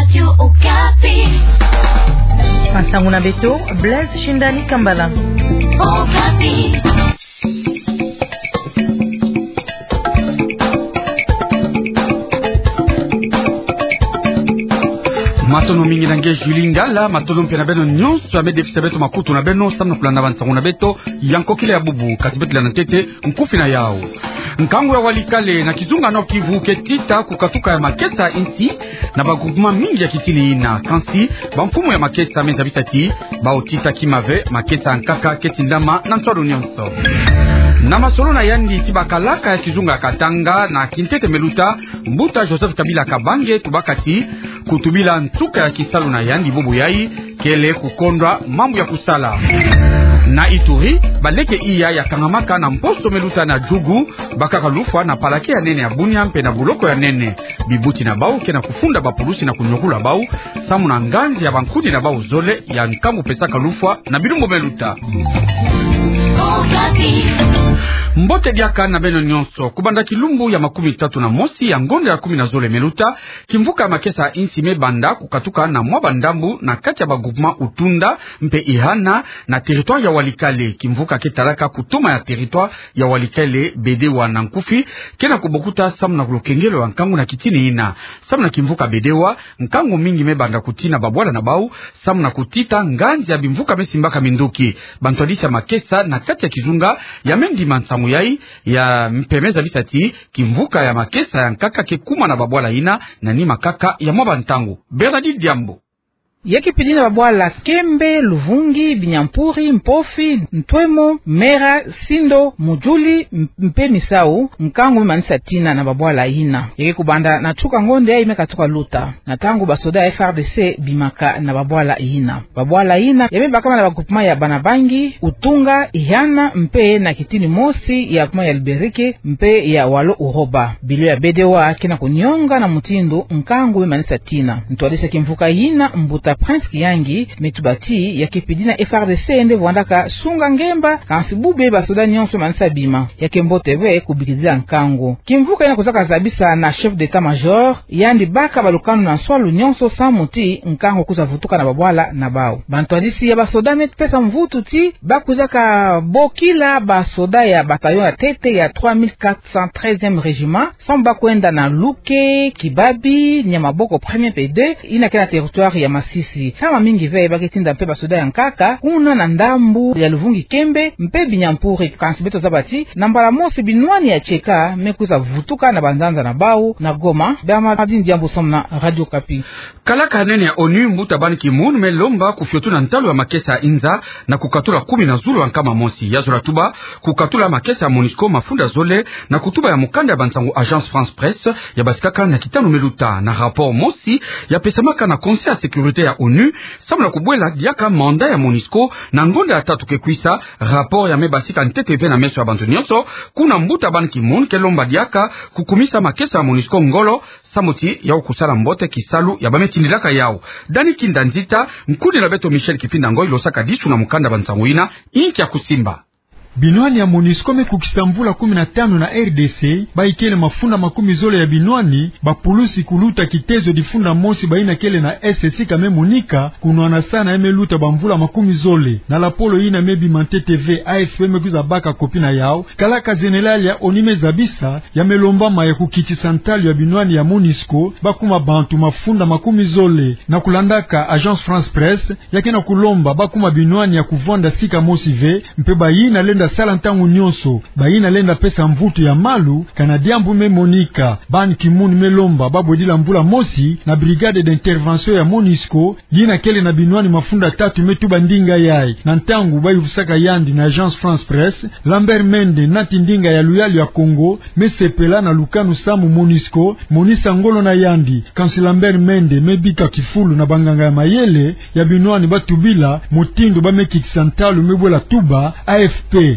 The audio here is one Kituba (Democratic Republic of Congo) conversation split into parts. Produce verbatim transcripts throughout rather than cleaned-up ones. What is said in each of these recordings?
Radio Okapi. Masangu na beto, Blaise Shindani Kambala. Okapi. Matondo mingi na nge Julie Ngala, matondo mpe na beno nyonso ya me defisa beto makutu na beno samu na kulanda bansangu na beto ya nkokila ya bubu. Kasi beto landa ntete nkufi na yau. Nkangu ya Walikale na kizunga Nord-Kivu ke tita kukatuka ya makesa insi na ba groupement mingi ya kitini ina. Kansi bamfumu ya makesa me zabisa ti bau tita kima ve, makesa ya nkaka ke tindama na nswalu nyonso. Na masolo na yandi ti bakalaka ya kizunga ya Katanga na kintete me luta, mbuta Joseph Kabila Kabange tubaka ti kutubila nsuka ya kisalu na yandi, bubu yai kele kukondwa mambu ya kusala. Na Ituri, baleke iya ya kangamaka na mposo me luta na Djugu bakaka lufwa na parquet ya nene ya Bunia mpe na buloko ya nene. Bibuti na bau ke na kufunda bapulusi na kunyokula bau samu na nganzi ya bankuni na bau zole ya nkangu pesaka lufwa na bilumbu me luta. Mbote diaka na beno nyonso. Kubanda kilumbu ya makumi tatu na mosi ya ngonda ya kumi na zole me luta, kimvuka ya makesa insi me banda kukatuka na mwa bandambu na kati ya ba groupement Utunda mpe Ihana na territoire ya Walikale. Kimvuka ke talaka kutoma ya territoire ya Walikale, Bedewa na nkufi, ke na kubokuta samu na kulokengelo ya nkangu na kitini ina. Samu na kimvuka Bedewa, nkangu mingi me banda kutina babwala na bau samu na kutita nganzi ya bimvuka me simbaka minduki. Bantwadisi ya makesa na kati ya kizunga ya me ndima nsangu yai, ya mpe me zabisa ti kimvuka ya makesa ya nkaka ke kuma na babwala ina na nima kaka ya mwa bantangu. Bernadette Diambo. Ya ke pidi na babwala Kembe, Luvungi, Binyampuri, Mpofi, Ntwemo, Mera, Sindo, Mujuli, m-, mpe Misau, nkangu me manisa tina na babwala ina. Ya ke kubanda na tuka ngonda yai me katuka luta, na ntangu basoda ya F R D C bimaka na babwala ina. Babwala ina ya me bakama na ba groupement ya Banabangi, Utunga, Ihana, mpe na kitini mosi ya groupement ya Liberike mpe ya Walo Uroba. Bilo ya Bedewa ke na kunionga na mutindu nkangu me manisa tina. Ntwadisi ya kimvuka ina, mbuta Prince Kiyangi, me tuba ti ya ke pidi na F R D C nde vwandaka sunga ngemba, kansi bubu basoda nyonso manisa bima. Ya ke mbote ve kubikidila nkangu. Kimvuka ina kwiza kazabisa na chef d'état-major, yandi baka balukanu na nswalu nyonso samu ti nkangu kwiza vutuka na babwala na bau. Bantwadisi ya basoda me pesa mvutu ti bakwiza kabokila basoda ya bataillon ya ntete ya trois mille quatre cent treizième régiment, samu bakwenda na Luke, Kibabi, Nyamaboko premier mpe deux, ina ke na territoire ya Masisi. Ntama mingi ve ba ke tinda mpe basoda ya nkaka kuna na ndambu ya Luvungi Kembe mpe Binyampuri. Kansi beto zaba ti na mbala mosi binwani ya tieka me kwiza vutuka na banzanza na bau na Goma. Bernadette Diambo samu na Radio Okapi. Kalaka nene ya ONU, mbuta Ban Ki-moon, me lomba kufiotuna ntalu ya makesa ya inza na kukatula kumi na zulu ya nkama mosi. Ya zola tuba kukatula makesa ya MONUSCO mafunda zole na kutuba ya mukanda ya bansangu Agence France Presse ya basikaka na kitanu me luta. Na rapport mosi ya pesamaka na Conseil ya sécurité ya ONU, samu na kubwela diaka mandat ya MONUSCO na ngonda ya tatu ke kwisa, rapport ya me basika ntete ve na meso ya bantu nyonso, kuna mbuta Ban Ki-moon ke lomba diaka kukumisa makesa ya MONUSCO ngolo, samu ti ya kusala mbote kisalu ya ba me tindilaka yau. Dani Kinda Nzita, nkuni na beto Michel Kipinda Ngoy, losaka disu na mukanda bansangu ina, inki ya kusimba. Binwani ya MONUSCO me kukisa mvula kumi na tanu na R D C, ba ikele mafunda makumi zole ya binwani, bapulusi kuluta kitezo difunda mosi ba ina kele na S C ka me monika, kunwana sana ya me luta bamvula makumi zole. Na lapolo ina me bima ntete ve, A F P me kwiza baka kopi na yau, kalaka général ya ONU me zabisa, ya me lombama ya kukitisa ntalu ya binwani ya MONUSCO, bakuma bantu mafunda makumi zole. Na kulandaka Agence France Presse, ya ke na kulomba bakuma binwani ya kuvwanda sika mosi ve, mpe ba ina lenda sala ntangu nyonso, ba ina lenda pesa mvutu ya malu, kana diambu me monika. Ban Ki-moon me lomba babwedila mvula mosi na brigade d'intervention ya MONUSCO, yina kele na binwani mafunda tatu me tuba ndinga yai. Na ntangu ba yuvusaka yandi na Agence France Presse, Lambert Mende, nati ndinga ya luyalu ya Kongo, me sepela na lukanu samu MONUSCO monisa ngolo na yandi. Kansi Lambert Mende me bika kifulu na banganga ya mayele ya binwani ba tubila mutindu ba me kitisa ntalu me bwela tuba A F P.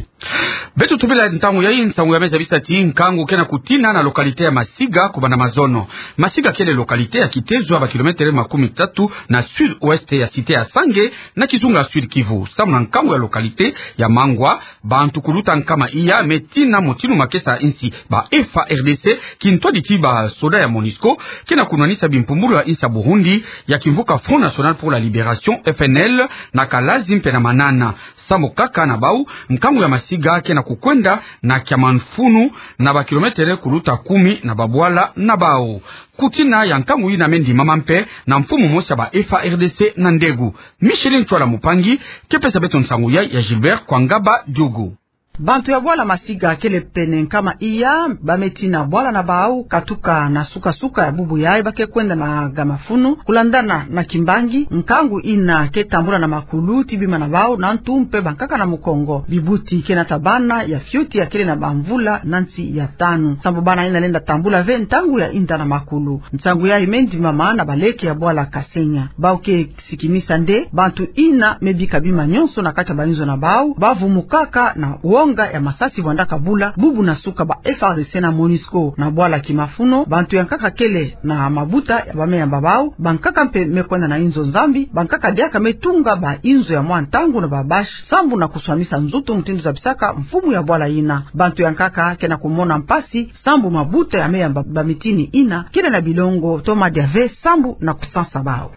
Beto tubila ntangu yayi nsangu ya me zabisa ti nkangu ke na kutina na localité ya Masiga kubanda mazono. Masiga kele localité ya kitezo ya ba kilomètre makumi tatu na sud-ouest ya cité ya Sange, na kizunga Sud-Kivu. Samu na nkangu ya localité ya Mangwa, bantu kuluta nkama iya me tina motinu makesa insi ba F A R D C, kintwadi ti ba soda ya MONUSCO, ke na kunwanisa bimpumbulu ya insi ya Burundi ya kimvuka Front National pour la Libération, F N L, na Kalazi mpe na Manana. Sambu kaka na bau, nkangu ya Masiga ke na kukwenda na kia mfunu na ba kilomètre kuluta kumi na babwala na bau. Kutina ya nkangu yina me ndimama mpe na mfumu mosi ya ba F A R D C na Ndegu. Micheline Ntsoila Mupangi ke pesa beto nsangu yayi ya Gilbert Kwangaba Diogo. Bantu ya bwala Masiga kele pene nkama iya, ba me tina bwala na bau, katuka na suka-suka ya bubu yayi ba ke kwenda na ga mafunu, kulandana na kimbangi. Nkangu yina ke tambula na makulu ti bima na bau, na ntu mpe bankaka na mukongo. Bibuti ke na tabana ya fioti ya kele na bamvula na nsi ya tanu. Sambu bana yina lenda tambula ve ntangu ya yinda na makulu. Nsangu yayi me ndimama na baleke ya bwala Kasenya. Bau ke sikimisa nde bantu yina me bika bima nyonso na kati ya bainzo na bau, ba vumukaka na wonga ya masasi vwandaka bula bubu na suka ba F A R D C na MONUSCO. Na bwala Kimafuno, bantu ya nkaka kele na mabuta ya ba me yamba bau, bankaka mpe me kwenda na inzo nzambi, bankaka diaka me tunga bainzo ya mwa ntangu na ba bâche, sambu na kuswamisa nzutu, mutindu zabisaka mfumu ya bwala yina. Bantu ya nkaka ke na kumona mpasi, sambu mabuta ya me yamba bamitini yina kele na bilongo to madia ve, sambu na kusansa bau.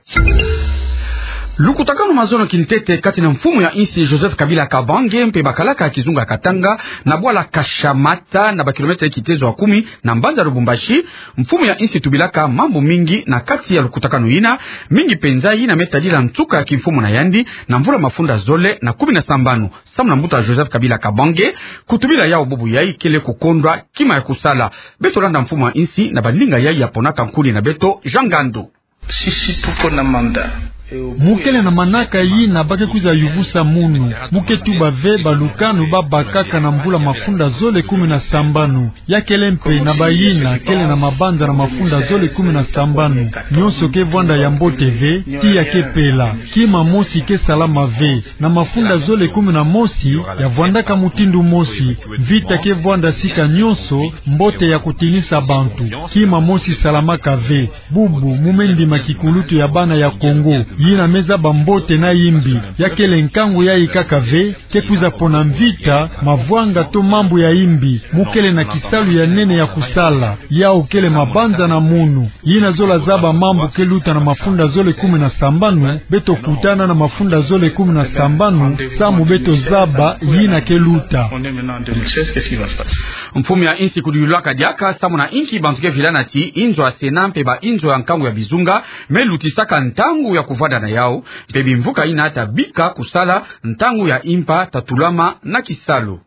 Lukutakanu mazono kintete kati na mfumu ya insi Joseph Kabila Kabange mpe bakalaka ya kizunga Katanga na bwala Kashamata, na ba kilomètre kitezo ya kumi na mbanza Lubumbashi. Mfumu ya insi tubilaka mambu mingi na kati ya lukutakanu yina, mingi penza yina me tadila nsuka ya kimfumu na yandi na mvula mafunda zole na kumi na sambanu. Samu na mbuta Joseph Kabila Kabange, kutubila yau bubu yayi kele kukondwa kima ya kusala. Beto landa mfumu ya insi na baninga yayi ya ponaka nkuli na beto, Jean Ngandu. Sisi tuko na manda. Mu kele na manaka yina ba ke kwiza yuvusa munu. Mu ke tuba ve balukanu ba bakaka na mvula mafunda zole kumi na sambanu. Ya kele mpe na bayina kele na mabanza na mafunda zole kumi na sambanu. Nyonso ke vwanda ya mbote ve, tiya ke pela. Kima mosi ke salama ve. Na mafunda zole kumi na mosi, ya vwandaka mutindu mosi. Mvita ke vwanda sika nyonso, mbote ya kutinisa bantu. Kima mosi salamaka ve. Bubu, mu me ndima kikulutu ya bana ya Kongo, yina me zaba mbote na yimbi. Ya kele nkangu yayi kaka ve, ke kwiza pona mvita, mavwanga to mambu ya yimbi. Mu kele na kisalu ya nene ya kusala. Yau kele mabanza na munu. Yina zola zaba mambu ke luta na mafunda zole kumi na sambanu, beto kutana na mafunda zole kumi na sambanu, samu beto zaba yina ke luta. Mfumu ya insi kudiyulaka diaka samu na inki bantu ke vilana ti inzo ya Sénat mpe bainzo ya nkangu ya bizunga me lutisaka ntangu ya kuvanda na yau, mpe bimvuka yina ta bika kusala ntangu ya impa ta tulama na kisalu.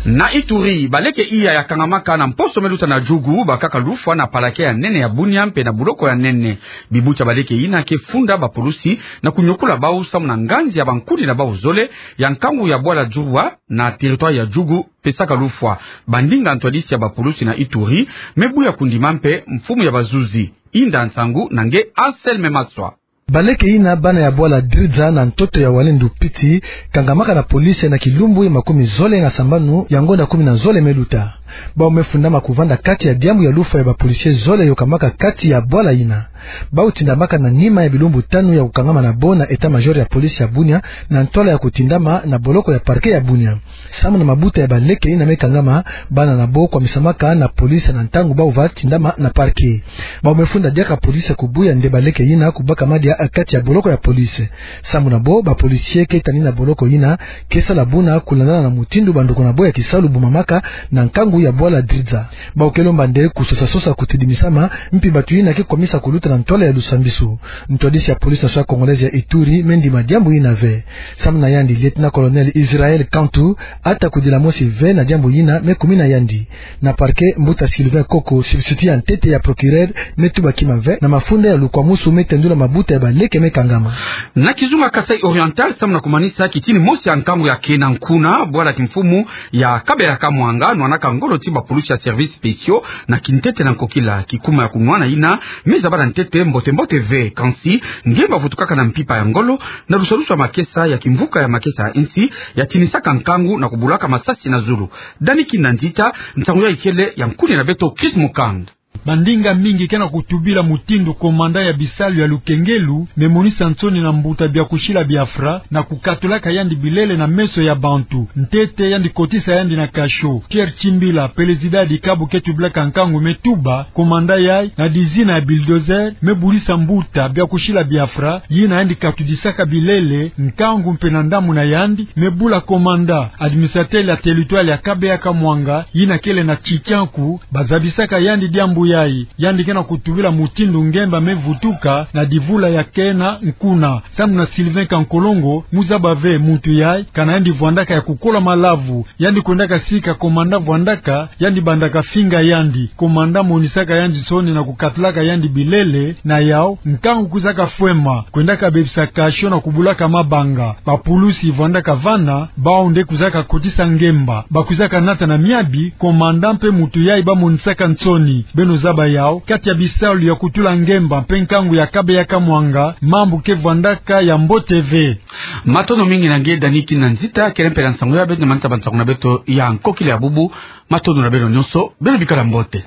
Na Ituri, baleke iya ya kangamaka na mposo me luta na Djougou bakaka lufwa na parquet ya nene ya Bunia mpe na boloko ya nene. Bibuti ya baleke yina ke funda bapulusi na kunyokula bau samu na nganzi ya bankuli na bau zole ya nkangu ya bwala Djoua na territoire ya Djougou pesaka lufwa. Bandinga ntwadisi ya bapulusi na Ituri me buya kundima mpe mfumu ya bazuzi. Inda nsangu na nge Anselme Maswa. Baleke yina bana ya bwala Dridza na ntoto ya Walendu Piti, kangamaka na police na kilumbu ya makumi zole na sambanu ya ngonda kumi na zole me luta. Bau me fundama kuvanda kati ya diambu ya lufwa ya ba policiers zole yokamaka kati ya bwala yina. Bau tindamaka na nima ya bilumbu tanu ya kukangama na bo na état-major ya police ya Bunia na ntwala ya kutindama na boloko ya parquet ya Bunia. Samu na mabuta ya baleke yina me kangama, bana na bo kwamisamaka na police na ntangu bau va tindama na parquet. Bau me funda diaka police kubuya nde baleke yina kubaka madia kati ya boloko ya police. Samu na bo, ba policiers ke tani na boloko yina ke sala buna kulandana na mutindu banduku na bo ya kisalu bumamaka na nkangu ya bwala Dridza. Bau ke lomba nde kusosa-sosa kutidimisama, mpi batu yina ke kwamisa kuluta na ntwala ya lusambisu. Ntwadisi ya police nationale congolaise ya Ituri me ndima diambu yina ve. Samu na yandi, lieutenant-colonel Israël Kantu ata kudila mosi ve na diambu yina me kumina yandi. Na parquet, mbuta Sylvain Koko, substitut ya ntete ya procureur, me tuba kima ve na mafunda ya lukwamusu me tendula mabuta ya baleke me kangama. Na kizunga Kasaï Oriental, samu na kumanisa kitini mosi ya nkangu ya kena nkuna, bwala kimfumu ya Kabera Kamwanga nwanaka ngolo ti ba pulusi ya services spéciaux na kintete na nkokila. Kikuma ya kunwana yina me zaba na ntete Mbote mbote ve, kansi nge bavutukaka na mpimpa ya ngolo, na lusalusu ya makesa ya kimvuka ya makesa ya insi, ya tinisaka nkangu na kubulaka masasi na zulu. Dani Kinda Nzita, nsangu yayi kele ya nkuni na beto Chris Mukand. Bandinga mingi ke na kutubila mutindu komanda ya bisalu ya lukengelu me monisa nsoni na mbuta Biakushila Biafra na kukatulaka yandi bilele na meso ya bantu. Ntete yandi kotisa yandi na kasho. Pierre Chimbila, pelezida ya dikabu ke tubilaka nkangu, me tuba komanda yayi na dizina ya bulldozer, me bulisa mbuta Biakushila Biafra, yina yandi katudisaka bilele, nkangu mpe na ndambu na yandi, me bula komanda, administrateur ya territoire ya Kabeya Kamwanga, yina kele na Tchitchankou, bazabisaka yandi diambu yayi. Yandi ke na kutubila mutindu Ngemba me vutuka na divula ya kena nkuna. Samu na Sylvain Kankolongo, mu zaba ve muntu yayi, kana yandi vwandaka ya kukola malavu. Yandi kwendaka sika komanda vwandaka, yandi bandaka finga yandi. Komanda monisaka yandi nsoni na kukatulaka yandi bilele, na yawu, nkangu kwizaka fwema, kwendaka bebisa kasho na kubulaka mabanga. Bapulusi vwandaka vana, bawu nde kwizaka kotisa Ngemba. Bakwizaka nata na miabi, komanda mpe muntu yayi bamonisaka nsoni. Beno zaba yawu, kati ya bisalu ya kutula Ngemba mpe nkangu ya Kabeya Kamwanga, mambu ke vwandaka ya mbote ve. Matondo mingi na nge Dani Kinda Nzita, kele mpela nsangu ya beto, manita ba nsangu na beto ya nkokila ya bubu. Matondo na beno nyonso, beno bikala mbote.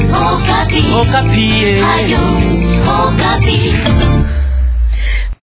Okapi. Okapi, eh.